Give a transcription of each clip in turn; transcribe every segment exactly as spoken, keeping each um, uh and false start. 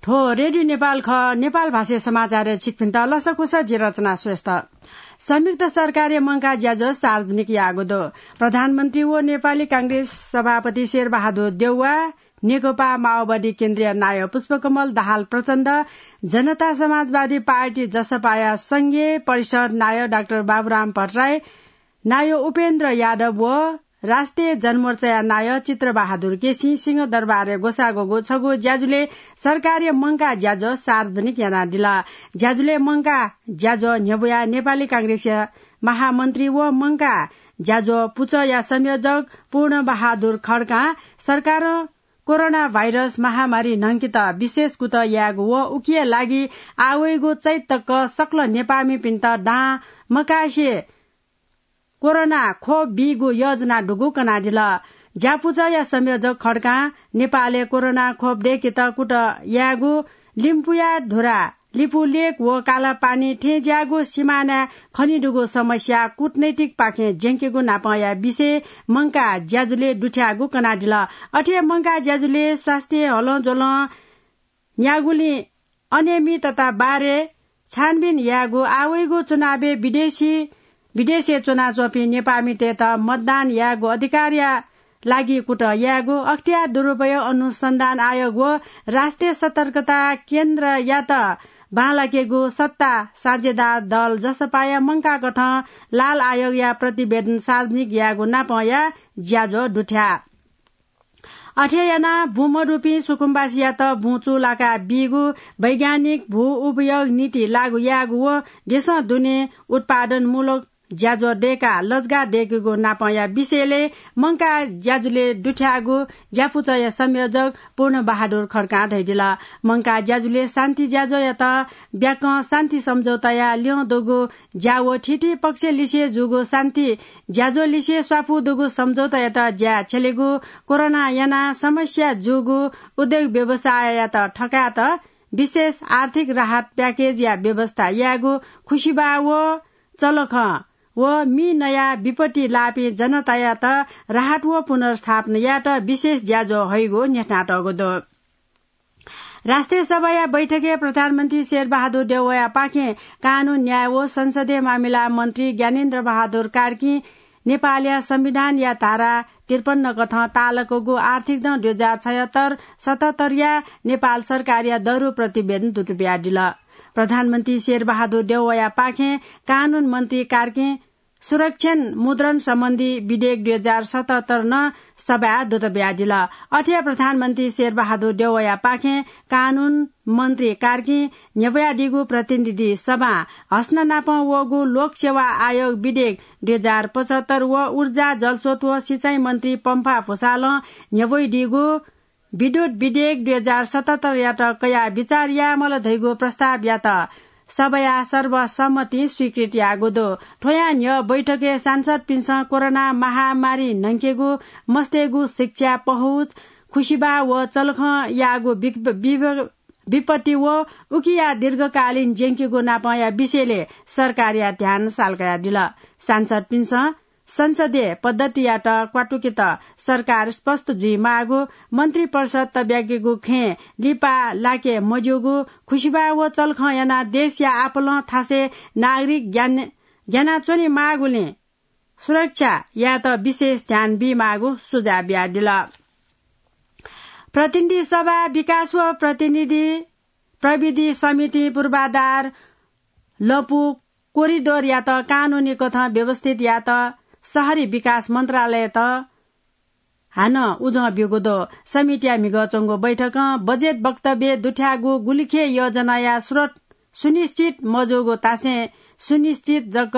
थ्व रेडियो नेपाल खः। नेपाल भाषाय् समाचारय् छिकपिन्त लसकुस, जि रचना श्रेष्ठ। संयुक्त सरकारया मंकाः ज्याझ्वः सार्वजनिक याःगु दु। प्रधानमन्त्री व नेपाली कांग्रेस सभापति शेरबहादुर देउवा, नेकपा माओवादी केन्द्रीय नायः पुष्पकमल दाहाल प्रचण्ड, जनता समाजवादी पार्टी जसपाया संघीय परिषद नायः डाक्टर बाबुराम भट्टराई, नायः उपेन्द्र यादव व राष्ट्रिय जनमोर्चाया नायः चित्रबहादुर केसी सिंहदरबारय् ग्वसाः ग्वःगु छगू ज्याझ्वलय् सरकारया मंकाः ज्याझ्वः सार्वजनिक यानादिल। ज्याझ्वलय् मंकाः ज्याझ्वः न्ह्यब्वयाः नेपाली कांग्रेसया महामन्त्री व मंकाः ज्याझ्वः पुचःया संयोजक पूर्णबहादुर खड्कां सरकारं कोरोना भाइरस महामारी न्हंकेत विशेष कुतः यायेगु व उकिया लागि आः वइगु चैत तक सकल नेपाःमिपिन्त दां मकासे कोरोना खोप बीगु योजना दुगु कनादिल। ज्यापुचःया संयोजक खड्कां नेपालय् कोरोना खोप दय्केत कुतः यायेगु लिम्पुया धुरा, लिपुलेक व कालापानी थें ज्याःगु सिमानाय् खनेदुगु समस्या कूटनैतिकपाखें ज्यंकेगु नापंया विषय मंकाः ज्याझ्वलय् दुथ्याःगु कनादिल। अथे मंकाः ज्याझ्वलय् स्वास्थ्य हलंज्वलं न्यागुलिं अनियमितता बारे छानबिन यायेगु, आः वइगु चुनावय् विदेशी, विदेशय् च्वनाच्वंपिं नेपाःमितय्त मतदान यायेगु अधिकारया लागि कुतः यायेगु, अख्तियार दुरुपयोग अनुसन्धान आयोग व राष्ट्रिय सतर्कता केन्द्रयात बांलाकेगु सत्ता साझेदार दल जसपाया मंकाः कथं लाल आयोगया प्रतिवेदन सार्वजनिक यायेगु नापंया ज्याझ्वः दुथ्याः। अथे यानाः बुँ मदुपिं सुकुम्बासीयात बुँ चूलाका बीगु, वैज्ञानिक भू उपयोग नीति लागू यायेगु व देशं दुने उत्पादनमूलक ज्याझ्वः दय्काः लजगाः दय्केगु नापंया विषयलय् मंकाः ज्याझ्वलय् दुथ्याःगु ज्यापुचःया संयोजक पूर्णबहादुर खड्कां धयादिल। मंकाः ज्याझ्वलय् शान्ति ज्याझ्वःयात ब्याकं शान्ति सम्झौताया ल्यं दुगु ज्या व थीथी पक्षलिसे जूगु शान्ति ज्याझ्वःलिसे स्वापू दुगु सम्झौतायात ज्याय् छ्यलेगु, कोरोना यानाः समस्या जूगु उद्योग व्यवसाययात थकायेत विशेष आर्थिक राहत प्याकेजया व्यवस्था यायेगु, खुसिबाः व चलखं व मि नयाः विपत्ति लाःपिं जनतायात राहत व पुनर्स्थापना यायेत विशेष ज्याझ्वः हइगु न्ह्यथनातःगु दु। राष्ट्रिय सभाया बैठकय् प्रधानमन्त्री शेरबहादुर देउवाया पाखें कानून, न्याय व संसदीय मामिला मन्त्री ज्ञानेन्द्र बहादुर कार्कीं नेपालया संविधानया धारा त्रिपन्न कथं तालकूगु आर्थिक दँ दुई हजार छयहत्तर सतहत्तरया नेपाल सरकारया दरु प्रतिवेदन दुत बियादिल। प्रधानमन्त्री शेरबहादुर देउवाया पाखें कानून मन्त्री कार्कीं सुरक्षण मुद्रण सम्बन्धी विधेयक दुई हजार सतहत्तर नं सभाय् दुत बियादिल। अथे प्रधानमन्त्री शेरबहादुर देउवाया पाखें कानून मन्त्री कार्कीं न्ह्यब्वयादीगु प्रतिनिधि सभां हस्न नापं वःगु लोकसेवा आयोग विधेयक दुई हजार पचहत्तर व ऊर्जा, जलस्रोत व सिँचाइ मन्त्री पम्फा भुसालं न्ह्यब्वइदीगु विद्युत विधेयक दुई हजार सतहत्तरयात कयाः विचार यायेमाल धइगु प्रस्तावयात सभाया सर्वसम्मतिं स्वीकृत याःगु दु। थ्वया न्ह्यः बैठकय् सांसदपिन्सं कोरोना महामारी न्हंकेगु, मस्तय्गु शिक्षा, पहुँच, खुसिबाः व चलखं याःगु विक-, विभ-, विपत्ति व उकिया दीर्घकालीन ज्यंकेगु नापंया विषयलय् सरकारया ध्यान सालकयादिल। सांसदपिन्सं संसदीय पद्धतियात क्वातुकेत सरकार स्पष्ट जुइमाःगु, मन्त्रिपरिषद तब्याकेगु खँय् लिपा लाके मज्यूगु, खुसिबाः व चलखं यानाः देशया आपालं थासय् नागरिक ग्यान-, ग्यानाच्वनेमाःगुलिं सुरक्षा यायेत विशेष ध्यान बीमाःगु सुझाव बियादिल। प्रतिनिधि सभा विकास व प्रतिनिधि प्रविधि समितिं पूर्वाधार लँपु कोरिडोरयात कानूनी कथं व्यवस्थित यायेत शहरी विकास मन्त्रालययात हानं उजं ब्यूगु दु। समितिया म्हिगः च्वंगु बैठकं बजेट वक्तव्य दुथ्याःगु गुलिखे योजनाया स्रोत सुनिश्चित मजूगु तासें सुनिश्चित जक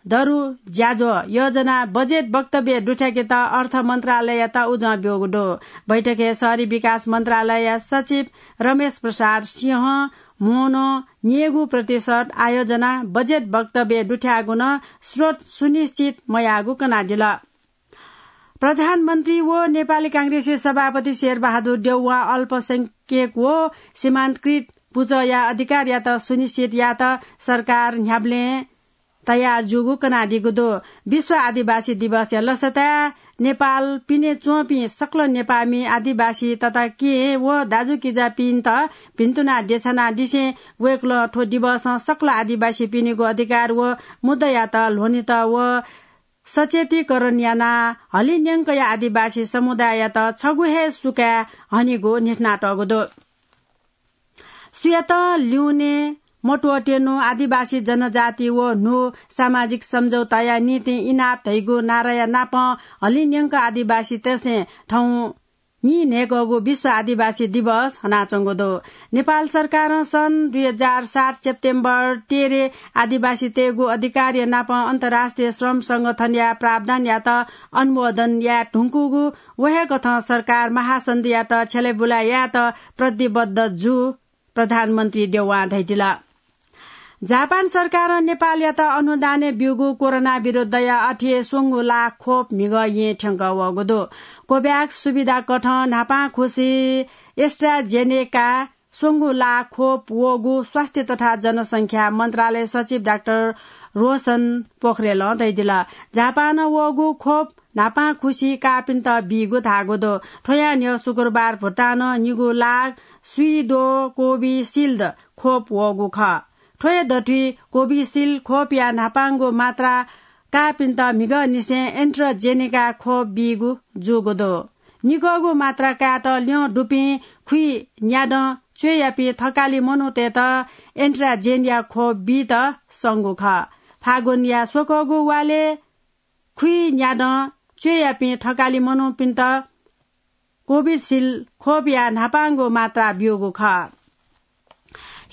दरु ज्याझ्वः योजना बजेट वक्तव्य दुथ्याकेत अर्थ मन्त्रालययात उजं ब्यूगु दु। बैठकय् शहरी विकास मन्त्रालयया सचिव रमेश प्रसाद सिंहं म्हनं न्ययेगु प्रतिशत आयोजना बजेट वक्तव्य दुथ्याःगु नं स्रोत सुनिश्चित मयाःगु कनादिल। प्रधानमन्त्री व नेपाली कांग्रेसया सभापति शेरबहादुर देउवां अल्पसंख्यक व सीमान्तकृत पुचःया अधिकारयात सुनिश्चित यायेत सरकार न्ह्याबलें तयार जूगु कनादीगु दु। विश्व आदिवासी दिवसया लसताय् नेपाल पिने च्वंपिं सकल नेपाःमि आदिवासी तताकेहेँ व दाजुकिजापिन्त भिन्तुना देछानादिसें वय्कलं थ्व दिवसं सकल आदिवासीपिनिगु अधिकार व मुद्दायात ल्ह्वनेत व सचेतीकरण यानाः हलिंन्यंकया आदिवासी समुदाययात छगू हे सुकाय् हनेगु न्ह्यथनातःगु दु। सुयातं ल्यूने मत्वःतेनु आदिवासी जनजाति व न्हू सामाजिक सम्झौताया निंतिं इनाप धइगु नाराया नापं हलिंन्यंक आदिवासीतय्सं थौं नीन्हय्कःगु विश्व आदिवासी दिवस हनाच्वंगु दु। नेपाल सरकारं सन् दुई हजार सात सेप्टेम्बर तेह्र आदिवासीतय्गु अधिकारया नापं अन्तर्राष्ट्रिय श्रम संगठनया प्रावधानयात अनुमोदन याये धुंकूगु व हे कथं सरकार महासन्धियात छ्यलेबुलाय् यायेत प्रतिबद्ध जू प्रधानमन्त्री देउवां धयादिल। जापान सरकारं नेपालयात अनुदानय् ब्यूगु कोरोना विरुद्धया अथे स्वंगू लाख खोप म्हिगः येँ थ्यंकः वःगु दु। कोभ्याक्स सुविधा कथं न्हापांखुसी एस्ट्राजेनेका स्वंगू लाख खोप वःगु स्वास्थ्य तथा जनसंख्या मन्त्रालय सचिव डाक्टर रोशन पोखरेलं धयादिल। जापानं वःगु खोप न्हापांखुसी काःपिन्त बीगु धाःगु दु। थ्वया न्ह्यः शुक्रबार भुटानं निगू लाख सुइदो कोभिसिल्ड खोप वःगु खः। थ्व हे दथुइ कोभिसिल्ड खोपया न्हापांगु मात्रा काःपिन्त म्हिगःनिसें एन्ट्राजेनेका खोप बीगु जूगु दु। निगःगु मात्रा कायेत ल्यं दुपिं खुइन्यादँ च्वय्यापिं थकालि मनूतय्त एन्ट्राजेनया खोप बीत संगु खः। फागुनया स्वकःगु वालय् खुइन्यादँ च्वय्यापिं थकालि मनूपिन्त कोभिसिल्ड खोपया न्हापांगु मात्रा ब्यूगु खः।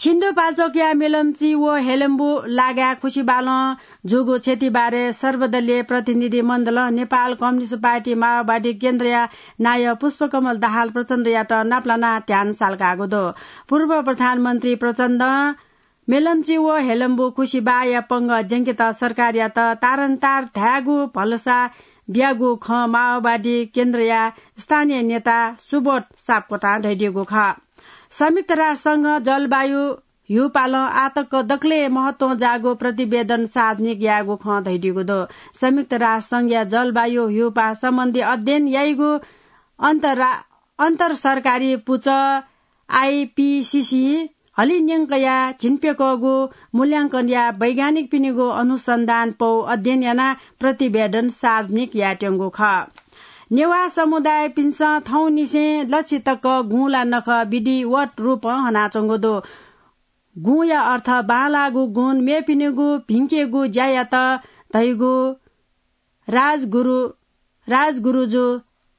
सिन्धुपाल्चोकया मेलम्ची व हेलेम्बु लागाय् खुसिबालं जूगु क्षतिबारे सर्वदलीय प्रतिनिधि मण्डलं नेपाल कम्युनिस्ट पार्टी माओवादी केन्द्रया नायः पुष्पकमल दाहाल प्रचण्डयात नापलानाः ध्यान सालकाःगु दु। पूर्व प्रधानमन्त्री प्रचण्डं मेलम्ची व हेलेम्बु खुसिबाया पंगः ज्यंकेत सरकारयात तारन्तार धायेगु भलसा बियागु खँ माओवादी केन्द्रया स्थानीय नेता सुबोध सापकोटां धयादीगु खः। संयुक्त राष्ट्र संघं जलवायु ह्यूपालं आःतक दकलय् महत्वं जाःगु प्रतिवेदन सार्वजनिक यायेगु खँ धयादीगु दु। संयुक्त राष्ट्र संघया जलवायु ह्यूपां सम्बन्धी अध्ययन याइगु अन्तरा-, अन्तरसरकारी पुचः आइपिसिसी हलिंन्यंकया झिंप्यकःगु मूल्यांकनया वैज्ञानिकपिनिगु अनुसन्धान पौ अध्ययन यानाः प्रतिवेदन सार्वजनिक यायेत्यंगु खः। नेवाः समुदायपिन्सं थौंनिसें लछि तक गुँला नखः विधिवत रूपं हनाच्वंगु दु। गुँया अर्थ बांलाःगु गुण, मेपिनिगु भिंकेगु ज्यायात धइगु राजगुरु, राजगुरुजु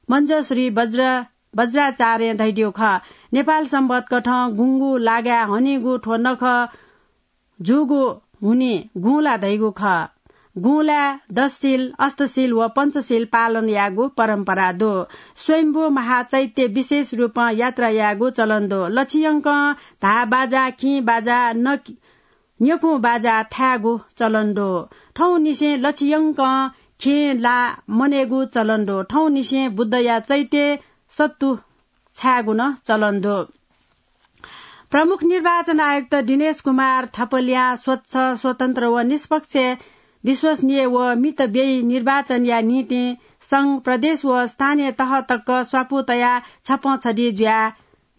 मञ्जश्री वज्र-, वज्राचार्यं धयादीगु खः। नेपाल संवत कथं गुँगू लागाय् हनीगु थ्व नखः जूगु हुनिं गुँला धइगु खः। गुँलाय् दशशील, अष्टशील व पञ्चशील पालन यायेगु परम्परा दु। स्वयम्भू महाचैत्य विशेष रूपं यात्रा यायेगु चलन दु। लछियंकं धाः बाजा, किं बाजा, न-, न्यकुं बाजा थायेगु चलन दु। थौंनिसें लछियंकं खेँ ला मनयेगु चलन दु। थौंनिसें बुद्धया चैत्य सत्तु छायेगु नं चलन दु। प्रमुख निर्वाचन आयुक्त दिनेश कुमार थपलियां स्वच्छ, स्वतन्त्र व निष्पक्ष, विश्वसनीय व मितव्ययी निर्वाचनया निंतिं संघ, प्रदेश व स्थानीय तह तक स्वापू तयाः छप्पँ छधी जुयाः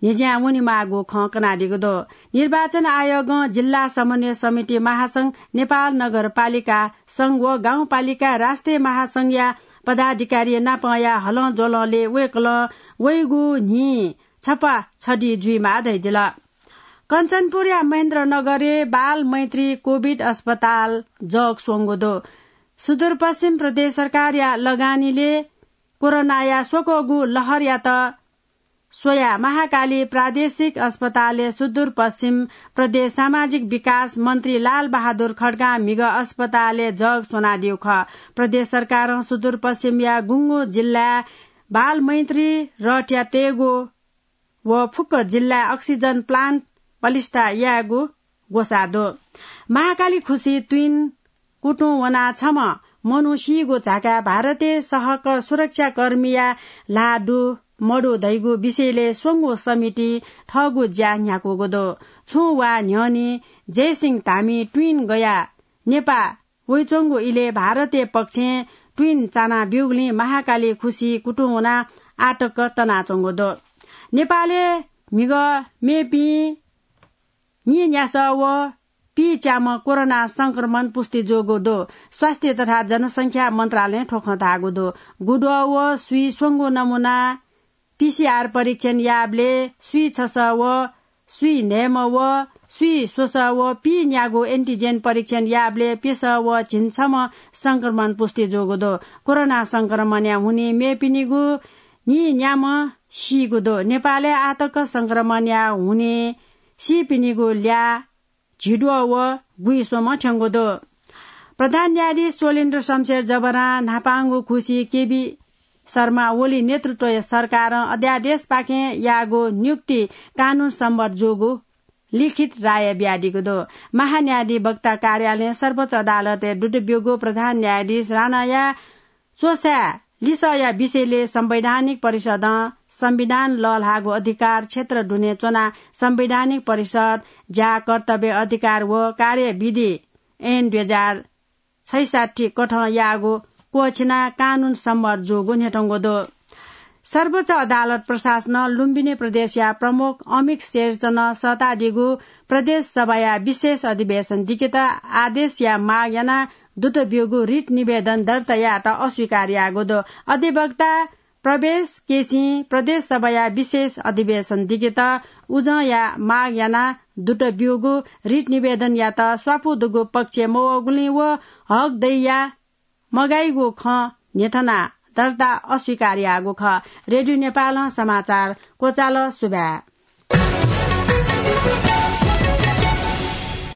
न्ह्यज्यां वनेमाःगु खँ कनादीगु दु। निर्वाचन आयोगं जिल्ला समन्वय समिति महासंघ, नेपाल नगरपालिका संघ व गाउँपालिका राष्ट्रिय महासंघया पदाधिकारी नापंया हलंज्वलंलय् वय्कलं वइगु न्हि छप्पा छधी जुइमाः धयादिल। कञ्चनपुरया महेन्द्रनगरय् बाल मैत्री कोभिड अस्पताल जग स्वंगु दु। सुदूरपश्चिम प्रदेश सरकारया लगानीलय् कोरोनाया स्वकःगु लहरयात स्वयाः महाकाली प्रादेशिक अस्पतालय् सुदूरपश्चिम प्रदेश सामाजिक विकास मन्त्री लालबहादुर खड्गां म्हिगः अस्पतालय् जग स्वनादीगु खः। प्रदेश सरकारं सुदूरपश्चिमया गुंगू जिल्लाय् बाल मैत्री रथया तयेगु व फुक्क जिल्लाय् अक्सिजन प्लान्ट पलिस्था यायेगु ग्वसाः दु। महाकाली खुसि तुइन कुतुं वनाः छम्ह मनू सीगु झाकाय् भारतीय सहक सुरक्षाकर्मीया ल्हाः दु मदु धइगु विषयलय् स्वंगू समितिं थःगु ज्या न्ह्याकूगु दु। छुं वा न्ह्यःने जयसिंह धामी तुइन गयाः नेपाः वइच्वंगु इलय् भारतीय पक्षं ट्विन चाना ब्यूगुलिं महाकाली खुसी कुतुं वनाः आतक तनाच्वंगु दु। नेपालय् म्हिगः मेपिं नीन्यासः व पीच्याम्ह कोरोना संक्रमण पुष्टि जूगु दु। स्वास्थ्य तथा जनसंख्या मन्त्रालयं थ्व खँ धाःगु दु। गुद्वः व स्वीस्वंगू नमुना पीसीआर परीक्षण याःबलय् स्वीछसः व स्वीन्हय्म्ह व स्वीस्वसः व पीन्यागू एन्टिजेन परीक्षण याःबलय् प्यसः व झिंछम्ह संक्रमण पुष्टि जूगु दु। कोरोना संक्रमणया हुनिं मेपिनिगु नीन्याम्ह सीगु दु। नेपालय् आतक संक्रमणया हुनिं सीपिनिगु ल्याः झिद्वः व गुइस्वम्ह थ्यंगु दु। प्रधान न्यायाधीश चोलेन्द्र शमशेर जबरां न्हापांगु खुसी केबी शर्मा ओली नेतृत्वया सरकारं अध्यादेशपाखें याःगु नियुक्ति कानून सम्मत जूगु लिखित राय बियादीगु दु। महान्यायाधिवक्ता कार्यालयं सर्वोच्च अदालतय् दुत ब्यूगु प्रधान न्यायाधीश राणाया च्वसाय् लिसःया विषयलय् संवैधानिक परिषदं संविधान लःल्हाःगु अधिकार क्षेत्र दुने च्वनाः संवैधानिक परिषद ज्या, कर्तव्य, अधिकार व कार्यविधि ऐन दुई हजार छैसठ्ठी कथं याःगु क्वःछिनाः कानून सम्मत जूगु न्ह्यथंगु दु। सर्वोच्च अदालत प्रशासनं लुम्बिनी प्रदेशया प्रमुख अमिक शेरचनं सःतादीगु प्रदेश सभाया विशेष अधिवेशन दिकेत आदेशया माग यानाः दुत ब्यूगु रिट निवेदन दर्ता यायेत अस्वीकार याःगु दु। अधिवक्ता प्रवेश केसीं प्रदेश सभाया विशेष अधिवेशन दिकेत उजंया माग यानाः दुत ब्यूगु रिट निवेदनयात स्वापू दुगु पक्ष मवःगुलिं व हक दइया मगाइगु खँ न्ह्यथनाः दर्ता अस्वीकार याःगु खः। रेडियो नेपालं समाचार क्वचाल। सुभाय्।